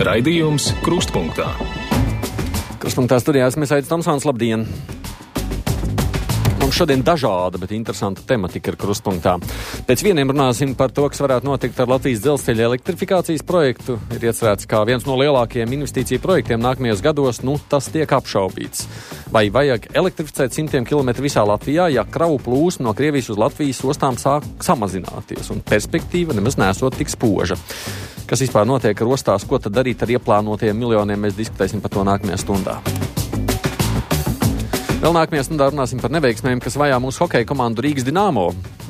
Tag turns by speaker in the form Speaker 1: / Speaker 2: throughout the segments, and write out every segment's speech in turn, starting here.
Speaker 1: Raidījums Krustpunktā.
Speaker 2: Krustpunktā studijā esmu Aidis Tomsons, labdien! Mums šodien dažāda, bet interesanta tematika ir Krustpunktā. Pēc vieniem runāsim par to, kas varētu notikt ar Latvijas dzelzceļa elektrifikācijas projektu. Ir iecerēts kā viens no lielākajiem investīciju projektiem nākamajos gados, tas tiek apšaubīts. Vai vajag elektrificēt 100 km visā Latvijā, ja kravu plūsma no Krievijas uz Latvijas ostām sāk samazināties un perspektīva nemaz nesot tik spoža? Kas vispār notiek ar ostās, ko tad darīt ar ieplānotajiem miljoniem, mēs diskutēsim par to nākamajā stundā. Vēl nākamajā stundā runāsim par neveiksmēm, kas vajā mūsu hokeja komandu Rīgas Dinamo.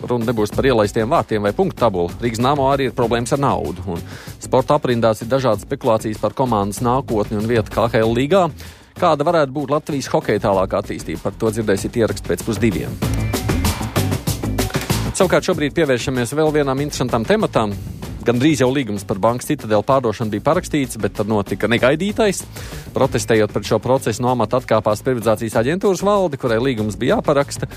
Speaker 2: Runa nebūs par ielaistiem vārtiem vai punktu tabulu. Rīgas Dinamo arī ir problēmas ar naudu. Un sporta aprindās ir dažādas spekulācijas par komandas nākotni un vietu KHL līgā. Kāda varētu būt Latvijas hokeja tālākā attīstība? Par to dzirdēsiet ierakstu pēc 2:00. Savukārt šobrīd pievēršamies vēl vienām interesantām tematām. Gan drīz jau līgums par bankas Citadele pārdošanu bija parakstīts, bet tad notika negaidītais. Protestējot pret šo procesu, no amata atkāpās privatizācijas aģentūras valde, kurai līgums bija jāparaksta.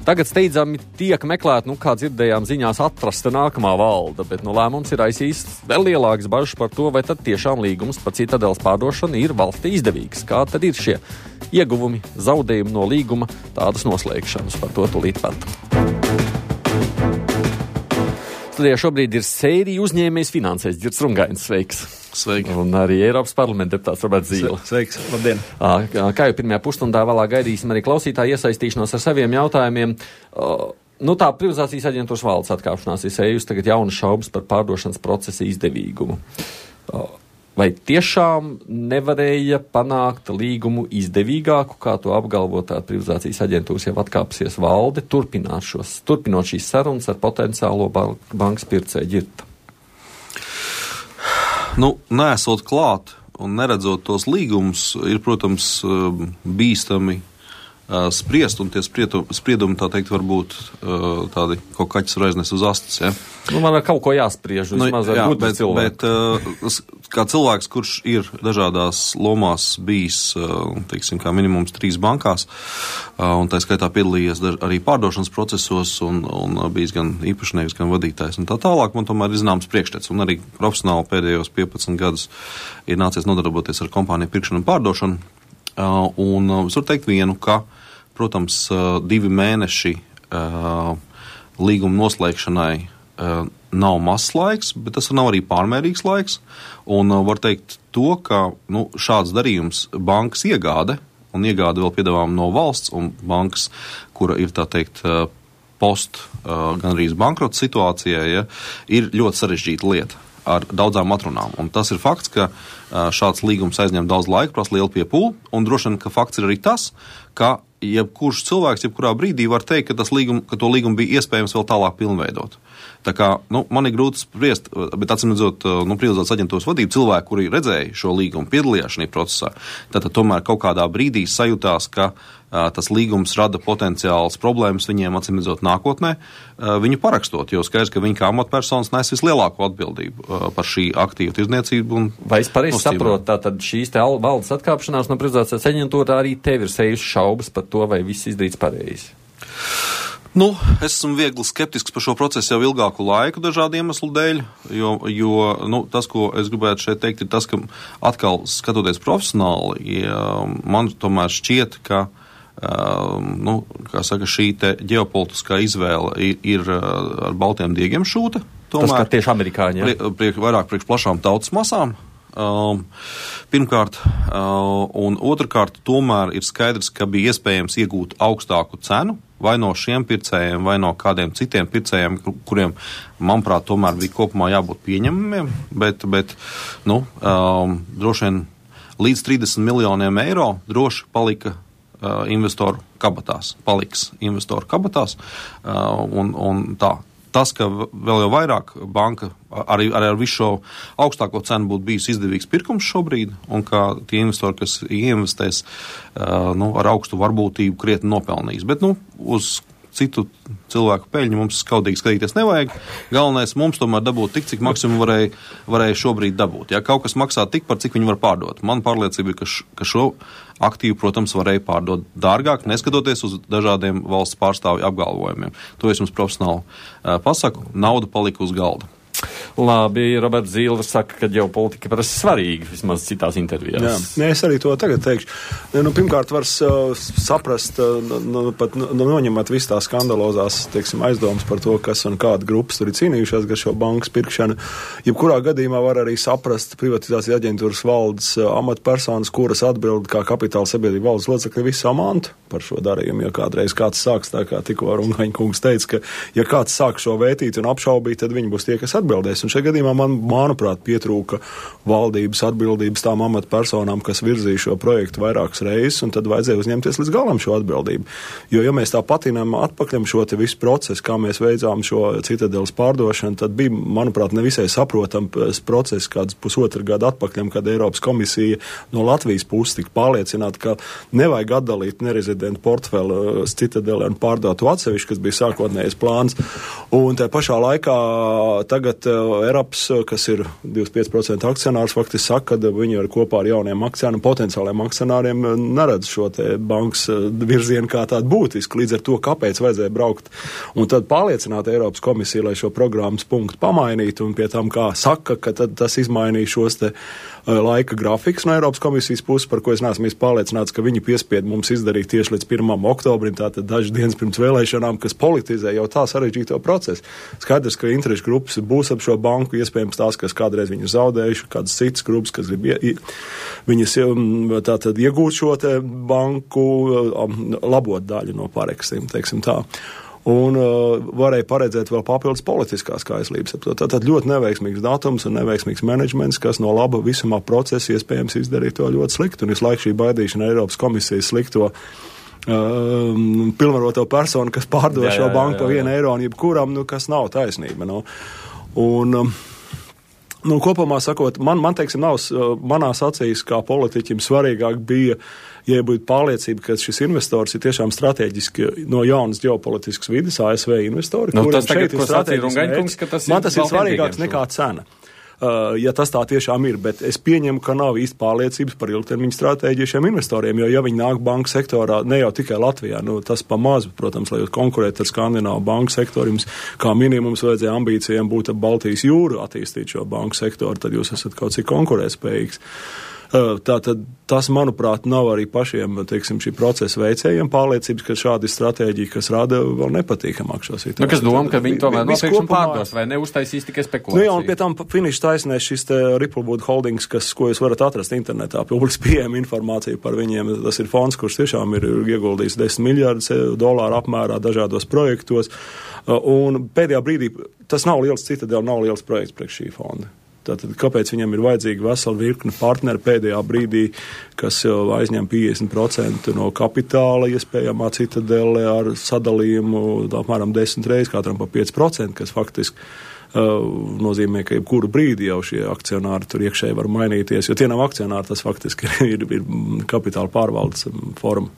Speaker 2: Tagad steidzami tiek meklēt, kā dzirdējām ziņās, atrasta nākamā valde, bet lēmums ir aizsījis vēl lielākas bažas par to, vai tad tiešām līgums par Citadeles pārdošanu ir valstī izdevīgs. Kā tad ir šie ieguvumi, zaudējumi no līguma, tādas noslēgšanas? Par to tūlīt pat. Studijā šobrīd ir sērija uzņēmējs finansēs. Girts Rungainis, sveiks.
Speaker 3: Sveiki.
Speaker 2: Un arī Eiropas parlamenta deputāts Roberts Zīle.
Speaker 3: Sveiks, labdien.
Speaker 2: Kā jau pirmajā pusstundā vēlāk gaidīsim arī klausītāju iesaistīšanos ar saviem jautājumiem. Tā privatizācijas aģentūras valdes atkāpšanās ir sējusi tagad jaunas šaubas par pārdošanas procesa izdevīgumu. Vai tiešām nevarēja panākt līgumu izdevīgāku, kā to apgalvotā privatizācijas aģentūras jau atkāpsies valde, turpinot šīs sarunas ar potenciālo bankas pircēju Girta?
Speaker 3: Neesot klāt un neredzot tos līgumus, ir, protams, bīstami spriest, un tie spriedumi, tā teikt, var būt tādi, ko kaķis var aiznest uz astes, ja?
Speaker 2: Man ar kaut ko jāspriež, vismaz ar gudru cilvēku.
Speaker 3: Bet kā cilvēks, kurš ir dažādās lomās bijis, teiksim, kā minimums 3 bankās, un tā skaitā piedalījies arī pārdošanas procesos, un bijis gan īpašnieks, gan vadītājs, un tā tālāk, man tomēr ir zināms priekšstats, un arī profesionāli pēdējos 15 gadus ir nācies nodarboties ar kompāniju pirkšanu un pārdošanu, un es varu teikt vienu, ka, protams, 2 mēneši līguma noslēgšanai nav mazs laiks, bet tas nav arī pārmērīgs laiks. Un var teikt to, ka šāds darījums bankas iegāde, un iegāde vēl piedāvājuma no valsts, un bankas, kura ir, tā teikt, gan arī bankrota situācijā, ja, ir ļoti sarežģīta lieta ar daudzām atrunām. Un tas ir fakts, ka šāds līgums aizņem daudz laika, prasa lielu piepūli, un droši vien, ka fakts ir arī tas, ka jebkurš cilvēks, jebkurā brīdī var teikt, ka to līgumu bija iespējams vēl tālāk pilnveidot. Tā kā, man ir grūti spriest, bet atsimredzot, privatizācijas aģentūras vadību cilvēki, kuri redzēja šo līgumu, piedalījās šajā procesā, tad tomēr kaut kādā brīdī sajūtās, ka tas līgums rada potenciāls problēmas viņiem, atsimredzot, nākotnē, viņu parakstot, jo skaidrs, ka viņi kā amatpersonas nes vislielāko atbildību par šī aktīvu tirdzniecību.
Speaker 2: Vai es pareizi saprotu, tātad šīs te valdes atkāpšanās no privatizācijas aģentūra arī tev ir sejusi šaubas par to, vai viss izdarīts pareizi?
Speaker 3: Es esmu viegli skeptisks par šo procesu jau ilgāku laiku dažādu iemeslu dēļ, jo tas, ko es gribētu šeit teikt, ir tas, ka atkal skatoties profesionāli, man tomēr šķiet, ka šī te ģeopolitiskā izvēle ir ar baltiem diegiem šūta.
Speaker 2: Tas, ka tieši amerikāņi, ja?
Speaker 3: Vairāk priekš plašām tautas masām. Pirmkārt, un otrkārt, tomēr ir skaidrs, ka bija iespējams iegūt augstāku cenu vai no šiem pircējiem, vai no kādiem citiem pircējiem, kuriem, manuprāt, tomēr bija kopumā jābūt pieņemamiem, bet droši vien līdz 30 miljoniem eiro droši palika investoru kabatās, un tā. Tas, ka vēl jau vairāk banka arī ar visu šo augstāko cenu būtu bijis izdevīgs pirkums šobrīd, un ka tie investori, kas ieinvestēs ar augstu varbūtību, krietni nopelnīs. Bet uz citu cilvēku peļņu mums skaudīgi skatīties nevajag. Galvenais mums tomēr dabūt tik, cik maksimum varēja šobrīd dabūt. Ja kaut kas maksā tik, par cik viņi var pārdot. Man pārliecība ir, ka šo aktīvu, protams, varēja pārdot dārgāk, neskatoties uz dažādiem valsts pārstāvju apgalvojumiem. To es jums profesionāli pasaku. Nauda palika uz galda.
Speaker 2: Labi, Roberts Zīle saka, ka ģeopolitika parasti svarīga, vismaz citās intervijās.
Speaker 4: Jā, nē, es arī to tagad teikšu. Pirmkārt, var saprast, pat noņemot visu tās skandalozās, teiksim, aizdomas par to, kas un kāda grupas tur ir cīnījušās gar šo bankas pirkšanu. Jebkurā gadījumā var arī saprast privatizācijas aģentūras valdes amatpersonas, kuras atbild kā kapitāla sabiedrība valdes locekļi visu amantu par šo darījumu, jo kādreiz kāds sāks, tā kā tikko Rungaņa kungs teica, ka ja kāds sāk šo vētīt un apšaubīt, tad viņi būs tie, kas atbildēs. Un šajā gadījumā manuprāt, pietrūka valdības atbildības tām amatpersonām, kas virzīja šo projektu vairākas reizes, un tad vajadzēja uzņemties līdz galam šo atbildību. Jo, ja mēs tā patinām atpakaļam šo te visu procesu, kā mēs veicām šo Citadeles pārdošanu, tad bija, manuprāt, nevisai saprotams process kāds pusotru gadu atpakaļam, kad Eiropas komisija no Latvijas puses tika pārliecināta, ka nevajag atdalīt nerezidentu portfeli Citadeli un pārdot atsevišķi, kas bija sākotnējais plāns. Un tā pašā laikā tagad Eiropas, kas ir 25% akcionārs, faktiski saka, ka viņi ar kopā ar jauniem akcionāriem, potenciāliem akcionāriem neredz šo te bankas virzienu kā tādu būtisku. Līdz ar to, kāpēc vajadzēja braukt un tad pārliecināt Eiropas komisiju, lai šo programmas punktu pamainītu, un pie tam, kā saka, ka tad tas izmainīja šos te laika grafiks no Eiropas komisijas puses, par ko es neesmu pārliecināts, ka viņi piespied mums izdarīt tieši līdz 1. oktobrim, tātad dažas dienas pirms vēlēšanām, kas politizē jau tā sarežģīto procesu. Skaidrs, ka interešu grupas būs ap šo banku, iespējams tās, kas kādreiz viņu zaudējuši, kādas citas grupas, kas grib viņas tātad iegūt šo te banku labot daļu no pareksiem, teiksim tā. Un varēja paredzēt vēl papildus politiskās kaislības. Tātad ļoti neveiksmīgs datums un neveiksmīgs menedžments, kas no laba visumā procesa iespējams izdarīja to ļoti sliktu. Un visu laiku šī baidīšana Eiropas komisijas slikto pilnvaroto personu, kas pārdod šo banku pa 1 eiro un jebkuram, kas nav taisnība. Kopumā sakot, man teiksim, nav manās acīs kā politiķim svarīgāk bija, ja būtu pārliecība, ka šis investors ir tiešām strateģiski no jaunas ģeopolitiskas vides, ASV investori, kuriem šeit ir strateģiski. Man tas ir svarīgāks nekā cena. Ja tas tā tiešām ir, bet es pieņemu, ka nav īsti pārliecības par ilgtermiņu stratēģiju šiem investoriem, jo ja viņi nāk banku sektorā, ne jau tikai Latvijā, tas pa mazu, protams, lai jūs konkurētu ar Skandināvu banku sektoru, jums kā minimums vajadzēja ambīcijām būt ap Baltijas jūru attīstīt šo banku sektoru, tad jūs esat kaut cik konkurētspējīgs. Tātad tas, manuprāt, nav arī pašiem, teiksim, šī procesa veicējiem pārliecības, ka šāda stratēģija, kas rada vēl nepatīkamāk šo situāciju.
Speaker 2: Kas doma, ka viņi tomēr nopirkšana pārdos vai neuztaisīs tikai spekulāciju?
Speaker 4: Jā, un pie tam finiša taisnēs šis te Ripplewood Holdings, ko jūs varat atrast internetā, publiski pieejama informācija par viņiem. Tas ir fonds, kurš tiešām ir ieguldījis $10 miljardus apmērā dažādos projektos. Un pēdējā brīdī tas nav liels Citadele, nav liels projekts priekš šī fonda. Tātad, kāpēc viņam ir vajadzīga vesela virkne partneri pēdējā brīdī, kas jau aizņem 50% no kapitāla iespējamā Citadele ar sadalījumu apmēram 10 reizes, katram pa 5%, kas faktiski nozīmē, ka jebkuru brīdi jau šie akcionāri tur iekšēji var mainīties, jo tie nav akcionāri, tas faktiski ir kapitāla pārvaldes forma.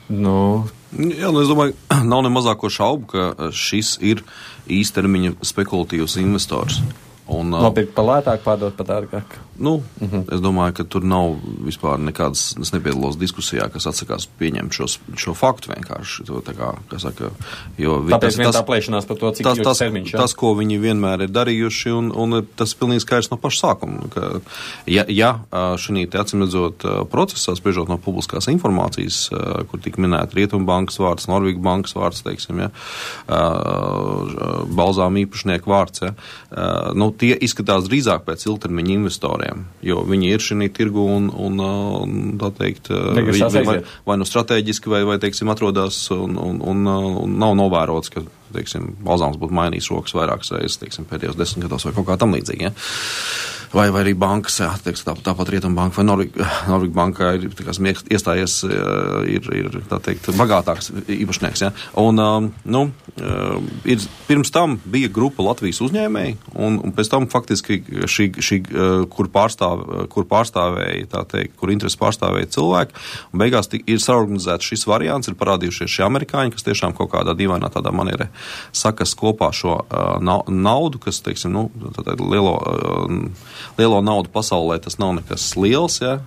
Speaker 3: Jā, es domāju, nav ne mazāko šaubu, ka šis ir īstermiņa spekulatīvs investors.
Speaker 2: Nopirkt pa lētāk, pārdot pa dārgāk.
Speaker 3: Es domāju, ka tur nav vispār nekādas, es nepiedalos diskusijā, kas atsakās pieņemt šo faktu vienkārši. To, kā saka, jo
Speaker 2: tāpēc tā plēšanās par to, cik ilgs termiņš.
Speaker 3: Tas, ko viņi vienmēr ir darījuši, un tas ir pilnīgi skaidrs no paša sākuma. Ka, ja šī te acīmredzot procesā, spriežot no publiskās informācijas, kur tika minēta Rietumbankas vārds, Norvēģa bankas vārds, teiksim, Balzām īpašnieku vārds, tie izskatās drīzāk pēc ilgtermiņa investoriem, jo viņi ir šī tirgu un tā teikt, vai nu strateģiski, vai teiksim, atrodas un nav novērots, ka, teiksim, Balzāms būtu mainījis rokas vairākas reizes, teiksim, pēdējos 10 gados vai kaut kā tam līdzīgi, ja? Vai arī bankas, teiksim, tāpat Rietumbanka vai Norvēģa banka ir iestājies, ir tā teikt, bagātāks īpašnieks, ja? Un, ir, pirms tam bija grupa Latvijas uzņēmēji, un pēc tam faktiski šī kur pārstāvēja, tā teikt, kur interesi pārstāvēja cilvēki, un beigās ir saorganizēts šis variants, ir parādījušies šie amerikāņi, kas tiešām kaut kādā dīvainā tādā manierē sakas kopā šo naudu, kas, teiksim, lielo naudu pasaulē tas nav nekas liels, ja,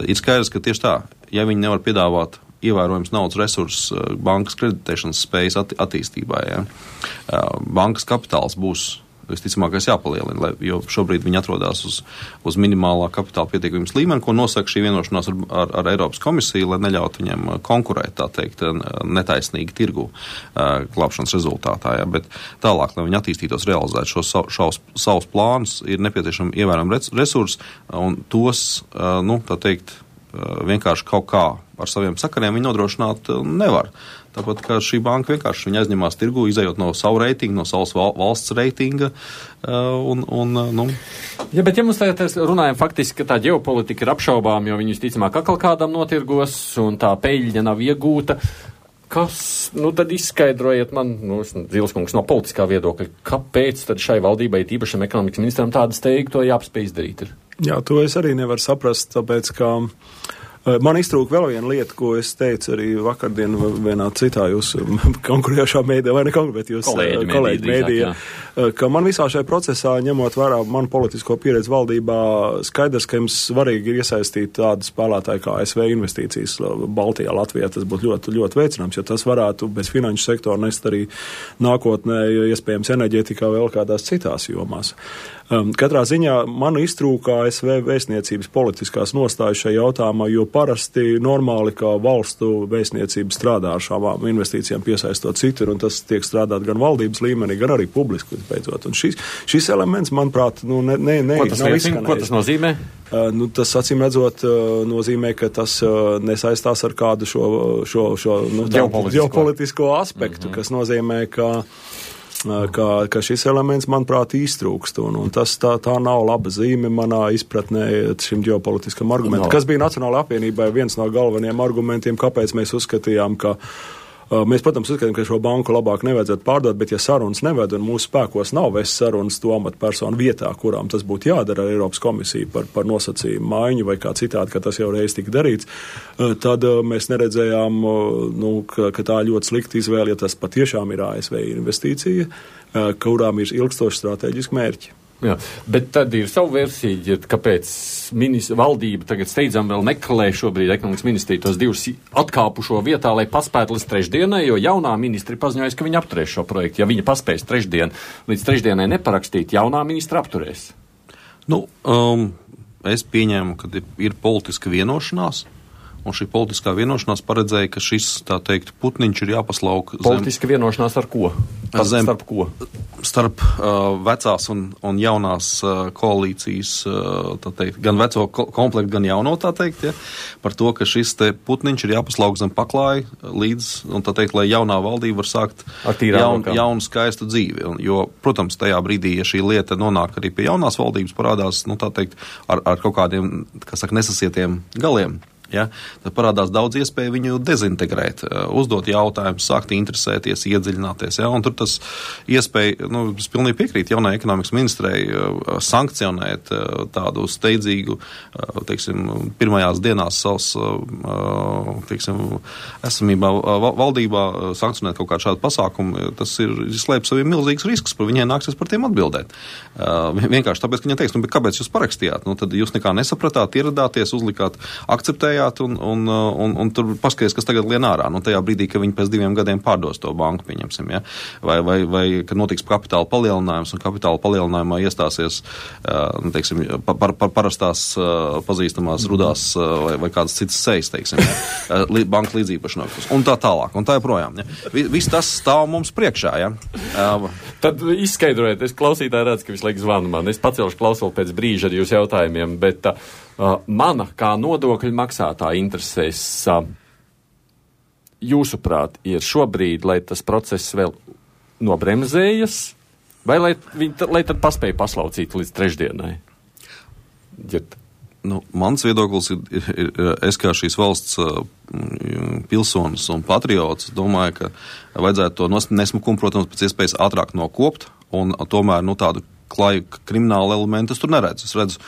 Speaker 3: ir skaidrs, ka tieši tā, ja viņi nevar piedāvāt ievērojams naudas resurss bankas kreditēšanas spējas attīstībai. Ja. Bankas kapitāls būs visticamākais jāpalielina, jo šobrīd viņi atrodas uz minimālā kapitāla pietiekamības līmeni, ko nosaka šī vienošanās ar Eiropas komisiju, lai neļautu viņiem konkurēt, tā teikt, netaisnīgi tirgu glābšanas rezultātā. Ja. Bet tālāk, lai viņi attīstītos, realizēt šos savus plānus, ir nepieciešami ievērojami resursi, un tos, tā teikt, vienkārši kaut kā ar saviem sakariem viņi nodrošināt nevar. Tāpat kā šī banka vienkārši viņa aizņemās tirgu, izējot no savu reitingu, no savas valsts reitinga.
Speaker 2: Ja, bet ja mums tagad runājam faktiski, ka tā ģeopolitika ir apšaubām, jo viņi visticamāk atkal kādam notirgos un tā peļņa nav iegūta, kas, tad izskaidrojiet man, Zilskungs, no politiskā viedokļa, kāpēc tad šai valdībai, tīpašam ekonomikas ministram, tāda steiga to jāpaspēj izdarīt ir?
Speaker 4: Jā, to es arī nevaru saprast, tāpēc, ka man iztrūka vēl viena lieta, ko es teicu arī vakardien vienā citā jūsu konkurējošā mēdī, vai ne konkurēt, bet jūs kolēģi mēdījā, ka man visā šajā procesā, ņemot vērā manu politisko pieredzi valdībā, skaidrs, ka jums svarīgi ir iesaistīt tādu spēlētāju kā ASV investīcijas Baltijā, Latvijā. Tas būtu ļoti, ļoti veicināms, jo tas varētu bez finanšu sektora nest arī nākotnē, iespējams, enerģētikā vēl kādās citās jomās. Katrā ziņā man iztrūka ASV vēstniecības politiskās nostājas šajā jautājumā, jo parasti normāli, kā valstu vēstniecība strādā ar šām investīcijām piesaistot citur, un tas tiek strādāt gan valdības līmenī, gan arī publiski, beidzot. Un šis elements, manuprāt, nav izskanējis.
Speaker 2: Ko tas nozīmē?
Speaker 4: Tas, acīm redzot, nozīmē, ka tas nesaistās ar kādu šo ģeopolitisko aspektu, kas nozīmē, ka šis elements, manuprāt, iztrūkst, un tas tā nav laba zīme manā izpratnē šim ģeopolitiskam argumentam. Kas bija Nacionālajai apvienībai viens no galvenajiem argumentiem, kāpēc mēs uzskatījām, ka mēs, protams, uzskatām, ka šo banku labāk nevajadzētu pārdot, bet ja sarunas neved un mūsu spēkos nav vest sarunas to amatpersonu vietā, kurām tas būtu jādara ar Eiropas komisiju par nosacījumu maiņu vai kā citādi, ka tas jau reiz tika darīts, tad mēs neredzējām, ka tā ļoti slikta izvēle, ja tas patiešām ir ASV investīcija, kurām ir ilgstoši strateģiski mērķi.
Speaker 2: Jā, bet tad ir savu versiju, kāpēc valdība tagad steidzam vēl meklē šobrīd ekonomikas ministriju tos divus atkāpušo vietā, lai paspētu līdz trešdienai, jo jaunā ministri paziņojas, ka viņi apturēs šo projektu. Ja viņa paspēs līdz trešdienai neparakstīt, jaunā ministra apturēs.
Speaker 3: Es pieņēmu, ka ir politiska vienošanās. Un šī politiskā vienošanās paredzēja, ka šis, tā teikt, putniņš ir jāpaslauk
Speaker 2: Politiska vienošanās ar ko? Starp ko?
Speaker 3: Starp vecās un jaunās koalīcijas, tā teikt, gan veco komplektu, gan jauno, tā teikt, ja, par to, ka šis te putniņš ir jāpaslauk zem paklāja līdz, un tā teikt, lai jaunā valdība var sākt jaunu skaistu dzīvi. Jo, protams, tajā brīdī, ja šī lieta nonāk arī pie jaunās valdības, parādās, tā teikt, ar kaut kādiem, nesasietiem galiem. Ja, tad parādās daudz iespēju viņu dezintegrēt, uzdot jautājumus, sākt interesēties, iedziļināties. Ja, un tur tas iespēja, es pilnīgi piekrītu jaunai ekonomikas ministrei sankcionēt tādu steidzīgu, pirmajās dienās savas, esamībā valdībā sankcionēt kaut kādu šādu pasākumu, tas ir slēp saviem milzīgs risks, par viņai nāksies par tiem atbildēt. Vienkārši tāpēc, ka viņa teiks, bet kāpēc jūs parakstījāt? Tad jūs nekā nesapratāt, ieradāties, uzlikāt, akceptējāt, un tur paskaties, kas tagad lien ārā. Tajā brīdī, ka viņi pēc 2 gadiem pārdos to banku, pieņemsim, ja? vai kad notiks kapitāla palielinājums, un kapitāla palielinājumā iestāsies, parastās pazīstamās rudās vai kādas citas sejas, teiksim, ja? Banka līdzīpašnieks, un tā tālāk, un tā joprojām. Ja? Viss tas stāv mums priekšā, ja?
Speaker 2: Tad izskaidrojiet, es klausītāji redzu, ka visu laiku zvanu man. Es pacelšu klausuli pēc brīža ar jūsu jautājumiem, bet mana kā nodokļu maksātāja interesēs, jūsuprāt, ir šobrīd, lai tas process vēl nobremzējas, vai lai tad paspēja paslaucīt līdz trešdienai? Ģirt.
Speaker 3: Mans viedoklis ir, es kā šīs valsts pilsonis un patriots, domāju, ka vajadzētu to nesmukumu, protams, pēc iespējas ātrāk nokopt un tomēr tādu klaju kriminālu elementu es tur neredzu. Es redzu,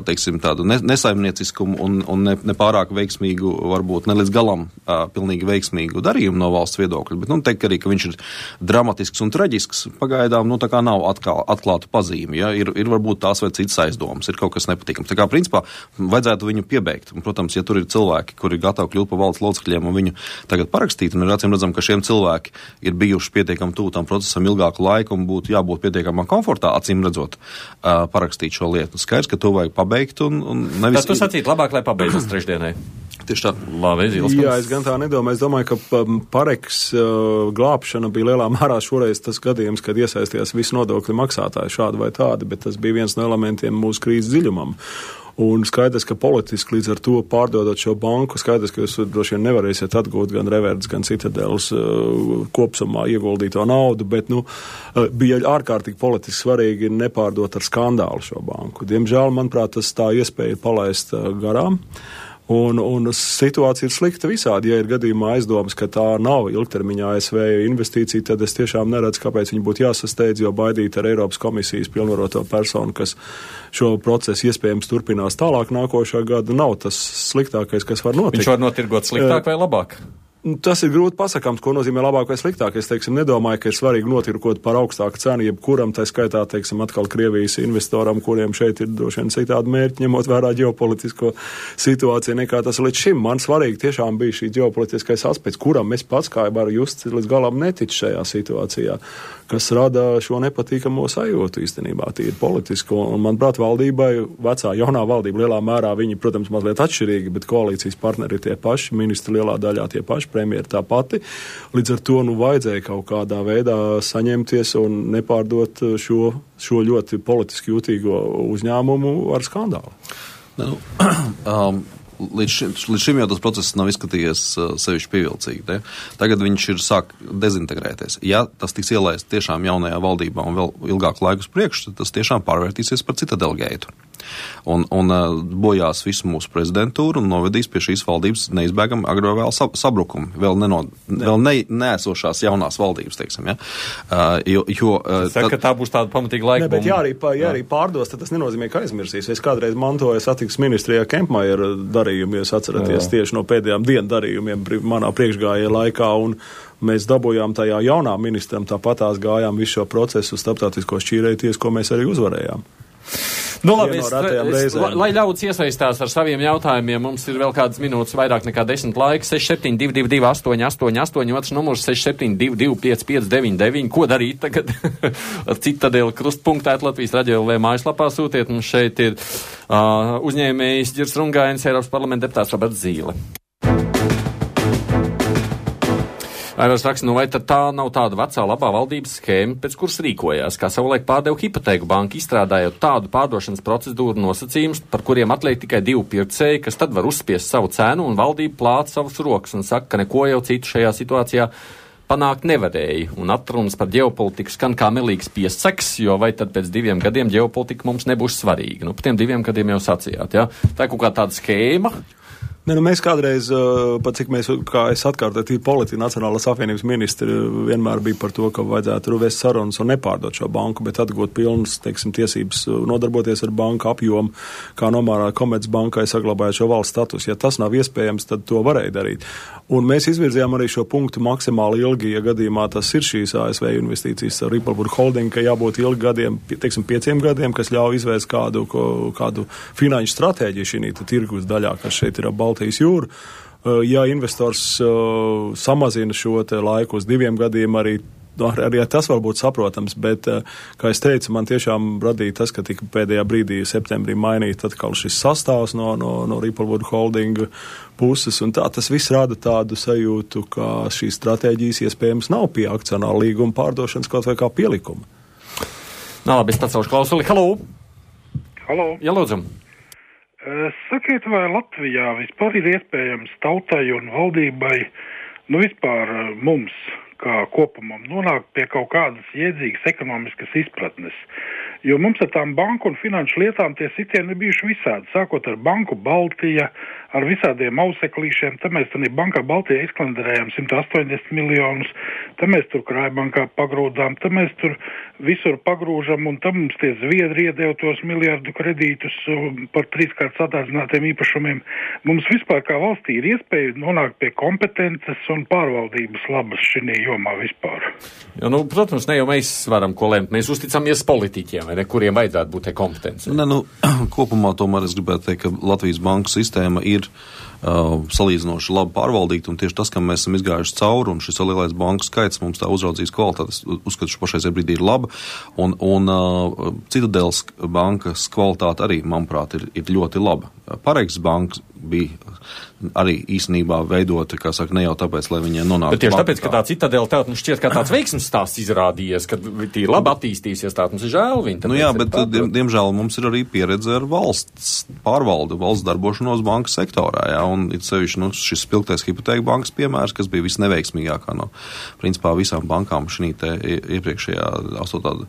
Speaker 3: teiksim, tādu nesaimnieciskumu un nepārāk veiksmīgu, varbūt ne līdz galam pilnīgi veiksmīgu darījumu no valsts viedokļa, bet, teikt arī, ka viņš ir dramatisks un traģisks, pagaidām, tā kā nav atklātu pazīmi, ja, ir varbūt tās vai citas aizdomas, ir kaut kas nepatīkams. Tā kā, principā, vajadzētu viņu piebeigt. Un, protams, ja tur ir cilvēki, kuri ir gatavi kļūt par valdes locekļiem un viņu tagad parakstīt, un ir acīm redzam, ka šiem cilvēki ir bijuši pietiekami tuvu tam procesam ilgāku laiku un būtu jābūt pietiekamā komfortā, acīm redzot, parakstīt šo lietu. Skaidrs, ka to vajag pabeigt un nevis...
Speaker 2: Tad tu sacīt labāk, lai pabeidzas trešdienai.
Speaker 3: Tieši tā.
Speaker 2: Labi,
Speaker 4: Jā, es gan tā nedomāju. Es domāju, ka Pareks glābšana bija lielā mērā šoreiz tas gadījums, kad iesaistījās visi nodokļu maksātāji šādi vai tādi, bet tas bija viens no elementiem mūsu krīzes dziļumam. Un skaidrs, ka politiski līdz ar to pārdodot šo banku, skaidrs, ka jūs droši vien nevarēsiet atgūt gan Reverdes, gan Citadeles kopsumā ieguldīto naudu, bet, bija ārkārtīgi politiski svarīgi nepārdot ar skandālu šo banku. Diemžēl, manuprāt, tas tā iespēja palaist garām. Un situācija ir slikta visādi. Ja ir gadījumā aizdomas, ka tā nav ilgtermiņā ASV investīcija, tad es tiešām neredzu, kāpēc viņi būtu jāsasteidz, jo baidīt ar Eiropas komisijas pilnvaroto personu, kas šo procesu iespējams turpinās tālāk nākošā gada, nav tas sliktākais, kas var notikt.
Speaker 2: Viņš var notirgot sliktāk vai labāk?
Speaker 4: Tas ir grūti pasakāms, ko nozīmē labāk vai sliktāk. Es, nedomāju, ka ir svarīgi notirkot par augstāku cenu, jebkuram, tā skaitā, atkal Krievijas investoram, kuriem šeit ir droši vien citādi mērķi, ņemot vērā ģeopolitisko situāciju, nekā tas līdz šim. Man svarīgi tiešām bija šī ģeopolitiskais aspekts, kuram es pats, kā varu just, līdz galam neticu šajā situācijā, kas rada šo nepatīkamo sajūtu īstenībā, tīri politisko. Un, manuprāt, valdībai, vecā, jaunā valdība lielā mērā, viņi, protams, mazliet atšķirīgi, bet koalīcijas partneri ir tie paši, ministri lielā daļā tie paši, premjera tā pati. Līdz ar to, vajadzēja kaut kādā veidā saņemties un nepārdot šo ļoti politiski jūtīgo uzņēmumu ar skandālu.
Speaker 3: Līdz šim jau tas process nav izskatījies sevišķi pievilcīgi. Ne? Tagad viņš ir sāk dezintegrēties. Ja tas tiks ielaists tiešām jaunajā valdībā un vēl ilgāku laiku uz priekšu, tad tas tiešām pārvērtīsies par Citadeli geitu. Un bojās visu mūsu prezidentūru un novedīs pie šīs valdības neizbēgami agro vēl sabrukumu. Vēl neesošās jaunās valdības, teiksim. Ja?
Speaker 2: Ka tā būs tāda pamatīga laika.
Speaker 4: Bet ja arī pārdos, tad tas nenozīmē, ka aizmirsīs. Es kādreiz mantoju satiksmes ministrijā Kempmajera darījumu, jūs atceraties tieši no pēdējām dienu darījumiem manā priekšgājēja laikā, un mēs dabūjām tajā jaunā ministram, tāpatās gājām visu šo procesu uz starptautisko šķīrēties, ko mēs arī uzvarējām.
Speaker 2: Labi, lai ļauts iesaistās ar saviem jautājumiem, mums ir vēl kādas minūtes, vairāk nekā 10 laika, 6722 888, otrs numurs 6722 559. Ko darīt tagad? Citadeli krustpunktēt Latvijas radio LV mājaslapā sūtiet, mums šeit ir uzņēmējs Ģirs Rungainis, Eiropas parlamenta deputāts Roberts Zīle. Airos raksta, vai tad tā nav tāda vecā labā valdības schēma, pēc kuras rīkojās, kā savulaik pārdeva hipotēku banku, izstrādājot tādu pārdošanas procedūru nosacījumus, par kuriem atliek tikai 2 pircēji, kas tad var uzspiest savu cenu un valdība plāca savus rokas un saka, ka neko jau citu šajā situācijā panākt nevarēja. Un atrunas par ģeopolitiku skan kā melīgs piesaks, jo vai tad pēc 2 gadiem ģeopolitika mums nebūs svarīga. Par tiem 2 gadiem jau sacījāt, ja? Tā ir kaut kā tāda schēma.
Speaker 4: Mēs kādreiz, pat cik mēs, kā es atkārtoju, politika Nacionālās apvienības ministri vienmēr bija par to, ka vajadzētu vest sarunas un nepārdot šo banku, bet atgūt pilnas, tiesības nodarboties ar banku apjomu, kā nomērā Komercbankai saglabājot šo valsts status. Ja tas nav iespējams, tad to varēja darīt. Un mēs izvirzījām arī šo punktu maksimāli ilgi, ja gadījumā tas ir šīs ASV investīcijas ar Ripple Holding, ka jābūt ilgi gadiem, 5 gadiem, kas ļauj izvērst kādu finanšu stratēģiju šī tirgus daļā, kas šeit ir Baltijas jūru. Ja investors samazina šo te laiku uz 2 gadiem, arī tas var būt saprotams, bet, kā es teicu, man tiešām radīja tas, ka tika pēdējā brīdī septembrī mainīt atkal šis sastāvs no Ripple Holding puses, un tas viss rada tādu sajūtu, ka šīs stratēģijas iespējams nav pie akcionāra līguma pārdošanas kaut vai kā pielikuma.
Speaker 2: Labi, es pacelšu klausuli. Halo!
Speaker 5: Halo!
Speaker 2: Jā, lūdzu!
Speaker 5: Sakiet, vai Latvijā vispār ir iespējams tautai un valdībai, vispār mums, kā kopumam, nonākt pie kaut kādas iedzīgas ekonomiskas izpratnes? Jo mums ar tām banku un finanšu lietām tie sitieni ir bijuši visādi, sākot ar Banku Baltija, ar visādiem auseklīšiem, tad mēs tur bankā Baltijā izklanderējām 180 miljonus, tad mēs tur Krājbankā pagrūdām, tad mēs tur visur pagrūžam, un tad mums tie Zviedri iedeva tos miljardu kredītus par 3-kārt sadārdzinātiem īpašumiem. Mums vispār kā valstī ir iespēja nonākt pie kompetences un pārvaldības labas šī jomā vispār.
Speaker 2: Jo, protams, ne jau mēs varam ko lemt, mēs uzticamies politiķiem, vai ne, kuriem vajadzētu būt te kompetence.
Speaker 3: Kopumā tomēr es gribētu teikt, ka Latvijas banku sistēma ir salīdzinoši labi pārvaldīta, un tieši tas, kam mēs esam izgājuši cauri, un šis lielais banku skaits mums tā uzraudzības kvalitāte, uzskatu, pašreizajā brīdī ir laba, un Citadeles bankas kvalitāte arī, manuprāt, ir ļoti laba. Pareigas bankas bija arī īstenībā veidota, kā saka, ne jau tāpēc, lai viņiem nonāktu.
Speaker 2: Bet tieši tāpēc, ka tā Citadele tev šķiet, ka tāds veiksmes stāsts izrādījies, ka tī labi attīstīsies, tā mums ir žēl viņi.
Speaker 3: Jā, bet diemžēl mums ir arī pieredze ar valsts pārvaldu, valsts darbošanos banku sektorā, jā, un it sevišķi, šis spilgtais hipotēku bankas piemērs, kas bija visneveiksmīgākā no, principā, visām bankām šī te iepriekšējā 8.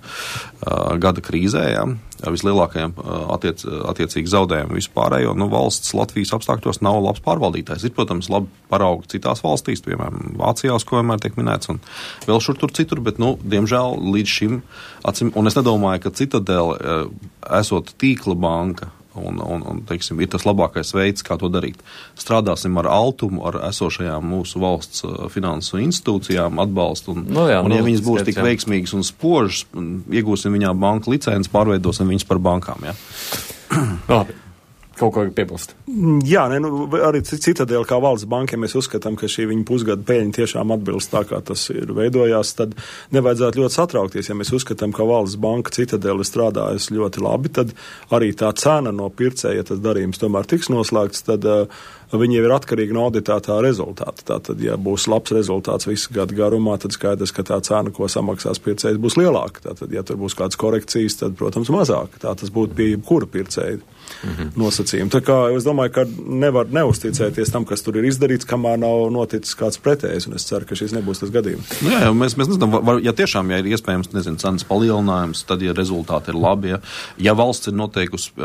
Speaker 3: Gada krīzē, jā, ar vislielākajiem attiecīgi zaudējumiem vispārējo, valsts Latvijas apstākļos nav labs pārvaldītājs. Ir, protams, labi paraugi citās valstīs, piemēram, Vācijās, ko vienmēr tiek minēts, un vēl šur tur citur, bet, diemžēl, līdz šim, un es nedomāju, ka Citadele, esot tīkla banka, un teiksim, ir tas labākais veids, kā to darīt. Strādāsim ar altumu, ar esošajām mūsu valsts finansu institūcijām, atbalstu, un ja viņas būs tik veiksmīgas un spožas, iegūsim viņā banku licenci, pārveidosim viņas par bankām, jā.
Speaker 2: Labi. Kaut ko piebilst.
Speaker 4: Jā, arī Citadele kā valsts banka, ja mēs uzskatām, ka šī viņa pusgada peļņa tiešām atbilst tā, kā tas ir veidojās, tad nevajadzētu ļoti satraukties. Ja mēs uzskatām, ka valsts banka Citadele strādājas ļoti labi, tad arī tā cena no pircēja, ja tas darījums tomēr tiks noslēgts, tad viņi jau ir atkarīgi no auditētā rezultāta. Tātad, ja būs labs rezultāts visu gadu garumā, tad skaidrs, ka tā cena, ko samaksās pircējs, būs lielāka. Tātad, ja tur būs kādas korekcijas, tad, protams, mazāk. Tā tas būtu pie jebkura pircēja nosacījuma. Tā kā es domāju, ka nevar neuzticēties tam, kas tur ir izdarīts, kamēr nav noticis kāds pretējs, un es ceru, ka šis nebūs tas gadījums.
Speaker 3: Jā, mēs nezinām, ja tiešām, ja ir iespējams, cenas palielinājums, tad, ja rezultāti ir labi, ja valsts ir noteikusi,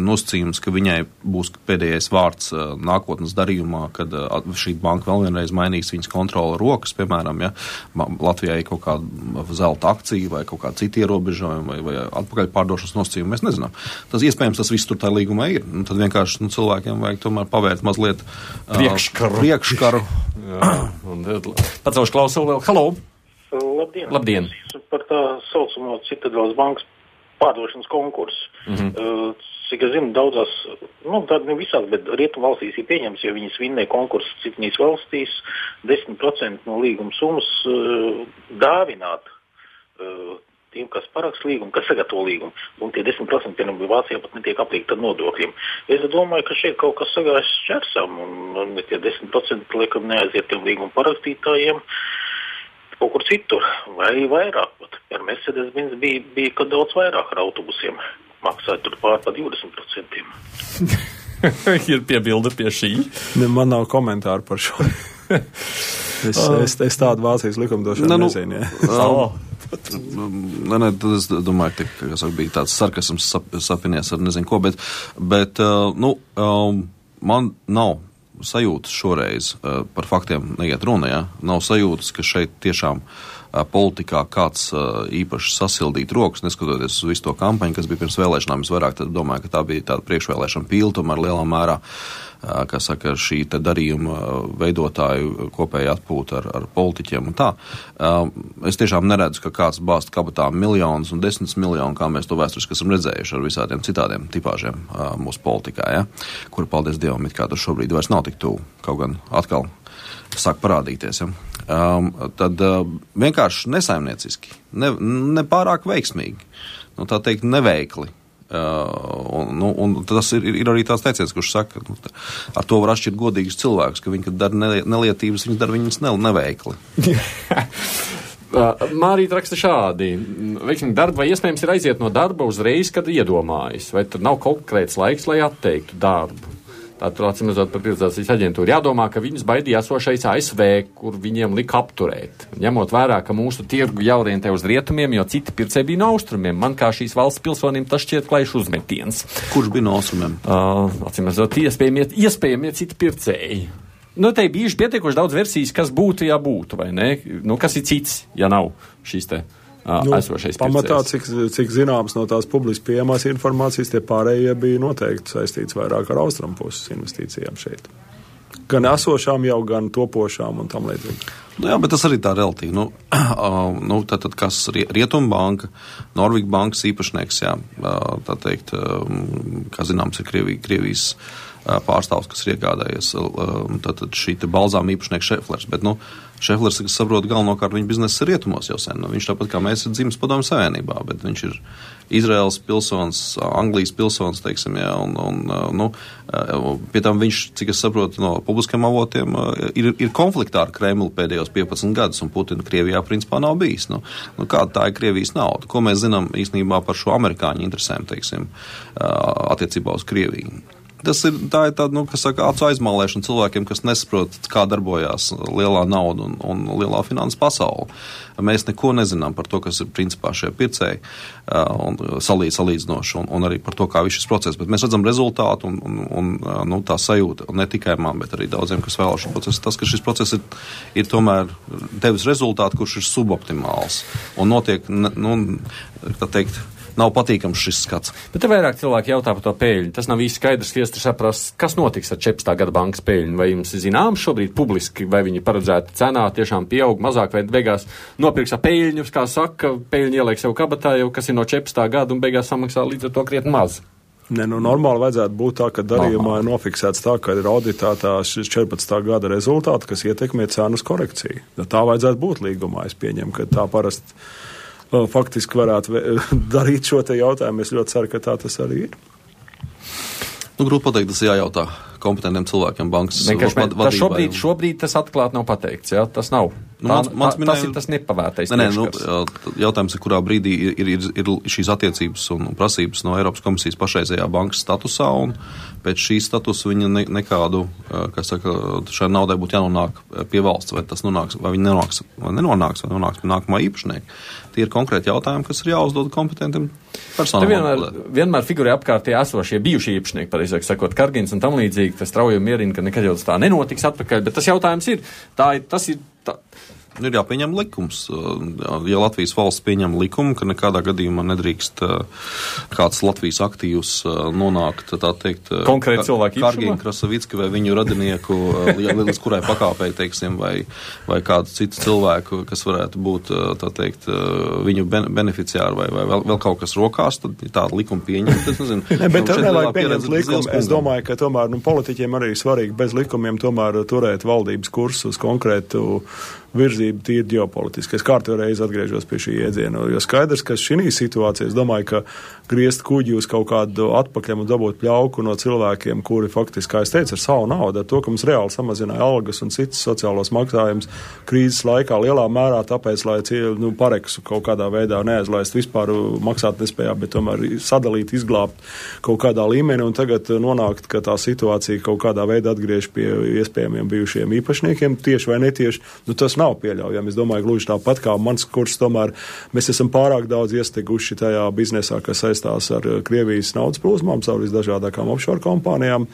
Speaker 3: nosacījums, ka viņai būs pēdējais vārds nākotnes darījumā, kad šī banka vēl vienreiz mainīs viņas kontrola rokas, piemēram, ja Latvijai kaut kāda zelta akcija vai kaut kāda cita ierobežojuma vai atpakaļ pārdošanas nosacījuma, mēs nezinām. Tas iespējams, tas viss tur tā līgumā ir. Tad vienkārši cilvēkiem vajag tomēr pavērt mazliet priekškaru.
Speaker 2: Pacelšu klausulu vēl. Halo!
Speaker 6: Labdien!
Speaker 2: Labdien!
Speaker 6: Par tā saucamo Citadeles bankas pārdošanas konkursu. Cik es zinu, daudzās, tād ne visās, bet rietumu valstīs ir pieņems, ja viņas vinnēja konkursu citnīs valstīs, 10% no līguma summas dāvināt tiem, kas paraksta līgumu, kas sagatavo līgumu, un tie 10%, piemēram, Vācijā pat netiek apliekti ar nodokļiem. Es domāju, ka šeit kaut kas sagājas šķersam, un tie 10% liekam neaiziet tiem līgumu parakstītājiem kaut kur citur, vai vairāk pat. Par Mercedes-Benz bija kad daudz vairāk ar autobusiem, maksāja tur pār pa 20%.
Speaker 2: Ir piebilde pie šī?
Speaker 4: Man nav komentāru par šo. Es tādu Vācijas likumdošanu nezinu.
Speaker 3: Tad es domāju, ka bija tāds sarkasms sapinies ar nezinu ko, bet man nav sajūtas šoreiz par faktiem neiet runa, ja? Nav sajūtas, ka šeit tiešām politikā kāds īpaši sasildīt rokas, neskatoties uz visu to kampaņu, kas bija pirms vēlēšanām. Es vairāk domāju, ka tā bija tāda priekšvēlēšana pīle, tomēr lielā mērā, kā saka, šī te darījuma veidotāju kopēja atpūta ar politiķiem un tā. Es tiešām neredzu, ka kāds bāzt kabatā miljonus un 10 miljonu, kā mēs to vēsturiski esam redzējuši ar visādiem citādiem tipāžiem mūsu politikā, ja? Kuri, paldies Dievam, it kā tur šobrīd vairs nav tik tuvu, kaut gan atkal sāk parādīties. Ja? Tad vienkārši nesaimnieciski, nepārāk veiksmīgi, tā teikt neveikli. Un tas ir arī tāds teiciens, kurš saka, ar to var atšķirt godīgus cilvēkus, ka viņi, kad dara nelietības, viņi dara viņas neveikli.
Speaker 2: Mārīta raksta šādi. Veiksmīgi darba vai iespējams ir aiziet no darba uzreiz, kad iedomājas? Vai tad nav konkrēts laiks, lai atteiktu darbu? Tātad, atcīmredzot par privatizācijas aģentūru, jādomā, ka viņus baidīja esošais ASV, kur viņiem lika apturēt. Ņemot vērā, ka mūsu tirgu jāorientē uz rietumiem, jo citi pircēji bija no austrumiem. Man kā šīs valsts pilsonim tas šķiet klaišs uzmetiens.
Speaker 3: Kurš bija no austrumiem?
Speaker 2: Atcīmredzot, iespējamie citi pircēji. Nu, te bijuši pietiekoši daudz versijas, kas būtu, ja būtu, vai ne? Nu, kas ir cits, ja nav šīs te esošais pircējs?
Speaker 4: Pamatā, cik zināms no tās publiski pieejamās informācijas, tie pārējie bija noteikti saistīts vairāk ar austrumu puses investīcijām šeit. Gan esošām jau, gan topošām un tam līdzīgi.
Speaker 3: Nu jā, bet tas arī tā relatīvi. Tātad, kas Rietumbanka, Norvīga bankas īpašnieks, jā, tā teikt, kā zināms, ir Krievijas pārstāvs, kas ir iegādājies tātad šī te balzām īpašnieks Šeflers, bet, Šeflers, kas saprot galvenokārt, viņa biznesa ir rietumos jau sen. Viņš tāpat kā mēs ir dzimis Padomju Savienībā, bet viņš ir Izraels pilsonis, Anglijas pilsonis, teiksim, jā, pie tam viņš, cik es saprotu no publiskiem avotiem, ir konfliktā ar Kremlu pēdējos 15 gadus, un Putina Krievijā principā nav bijis. Kāda tā ir Krievijas nauda? Ko mēs zinām īstenībā par šo amerikāņu interesēm, teiksim, attiecībā uz Krieviju? Tā ir tāda, kas saka, acu aizmālēšana cilvēkiem, kas nesaprot, kā darbojās lielā nauda un lielā finanses pasaule. Mēs neko nezinām par to, kas ir principā šie pircēji un salīdzinoši un arī par to, kā viss šis process. Bet mēs redzam rezultātu un tā sajūta, un ne tikai man, bet arī daudziem, kas vēlas šo procesu. Tas, ka šis process ir tomēr devis rezultātu, kurš ir suboptimāls un notiek, tā teikt, nav patīkams šis skats.
Speaker 2: Bet te vairāk cilvēki jautā par to peļņu. Tas nav īsti skaidrs, iestri saprast, kas notiks ar 14. gada bankas peļņu. Vai jums ir zināms šobrīd publiski, vai viņi paredzēta cenā tiešām pieaug mazāk, vai beigās nopirks ar peļņu, kā saka, peļņu ieliek sev kabatā jau, kas ir no 14. gada un beigās samaksā līdz ar to krietni maz.
Speaker 4: Normāli vajadzētu būt tā, ka darījumā ir nofiksēts tā, ka ir auditētā šis 14. gada rezultāti, kas ietekmē cenas korekciju. Tā vajadzētu būt līgumā, es pieņemu, ka tā parasti faktiski varētu darīt šo te jautājumu. Es ļoti ceru, ka tā tas arī ir.
Speaker 3: Grūti pateikt, tas jājautā kompetentiem cilvēkiem bankas vadībai.
Speaker 2: Šobrīd tas atklāt nav pateikts, jā? Tas nav. Tas ir tas nepavērtais.
Speaker 3: Jautājums ir, kurā brīdī ir šīs attiecības un prasības no Eiropas komisijas pašreizējā bankas statusā, un pēc šī statusa viņa nekādu, kas saka, šai naudai būtu jānonāk pie valsts, vai tas nonāks, vai viņa nenonāks pie nākamā īpašnieka. Tie ir konkrēti jautājumi, kas ir jāuzdod kompetentiem personām.
Speaker 2: Vienmēr figurē apkārt tie esošie bijušie īpašnieki, pareizāk sakot, Kargins un tam līdzīgi, tas strauji mierina, ka nekad jau tas tā nenotiks atpakaļ, bet tas jautājums ir,
Speaker 3: Ir jāpieņem likums. Ja Latvijas valsts pieņem likumu, ka nekādā gadījumā nedrīkst kāds Latvijas aktīvs nonākt, tā teikt,
Speaker 2: konkrēti cilvēki
Speaker 3: Kargina Krasavicka vai viņu radinieku, līdz kurai pakāpei, teiksim, vai kādu citu cilvēku, kas varētu būt, tā teikt, viņu beneficiāri vai vēl kaut kas rokās, tad tādu likumu pieņemt. Es nezinu.
Speaker 4: Bet tur nevajag pieņemt likumu. Es domāju, ka tomēr politiķiem arī svarīgi bez likumiem tomēr turēt valdības kursu uz konkrētu virzību tīri ģeopolitiski. Es kārtējo reizi atgriežos pie šī iedziena, jo skaidrs, ka šī situācija, es domāju, ka griezt kuģi uz kaut kādu atpakaļ un dabūt pļauku no cilvēkiem, kuri faktiski, kā es teicu, ar savu naudu, ar to, ka mums reāli samazināja algas un citas sociālos maksājumus krīzes laikā lielā mērā, tāpēc, lai pareksu kaut kādā veidā neaizlaist vispār maksāt nespējā, bet tomēr sadalīt, izglābt kaut kādā līmenī un tagad nonākt, ka tā situācija kaut kādā veidā atgriež pie iespējamiem bijušiem īpašniekiem, tieši vai netieši, tas nav pieļaujami. Es domāju, gluži tāpat kā mans kurs, tomēr mēs esam pārāk daudz iesteguši tajā biznesā, kas saistās ar Krievijas naudas plūsmām, caur visdažādākām offshore kompānijām.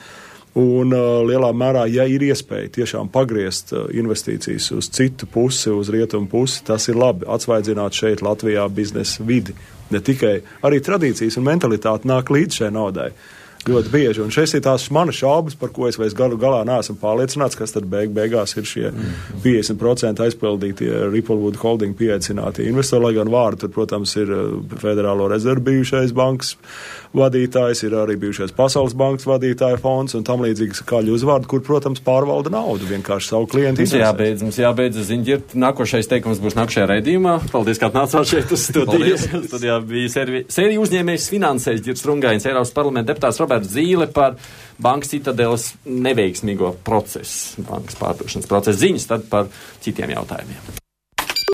Speaker 4: Un lielā mērā, ja ir iespēja tiešām pagriezt investīcijas uz citu pusi, uz rietumu pusi, tas ir labi. Atsvaidzināt šeit Latvijā biznesa vidi. Ne tikai arī tradīcijas un mentalitāte nāk līdz šai naudai. Ļoti bieži. Un šeit ir tās manas šaubas, par ko es vairs galā neesmu pārliecināts, kas tad beigās ir šie 50% aizpildītie Ripplewood Holding pieaicinātie investori, lai gan vārdi tur, protams, ir Federālo rezervu bijušais bankas vadītājs, ir arī bijušais Pasaules bankas vadītāja fonds un tam līdzīgas kāļu uzvārdi, kur, protams, pārvalda naudu vienkārši savu klientu interesēs.
Speaker 2: Mums jābeidz ziņģirt. Nākošais teikums būs nākošajā raidījumā. Paldies, kā atnācāt šeit uz studiju. Studijā bija sērija uzņēmējs finansējs Ģirds Rungains, Eiropas parlamenta deputāts Zīle par bankas Citadeles neveiksmīgo procesu, bankas pārdošanas procesu ziņas, tad par citiem jautājumiem.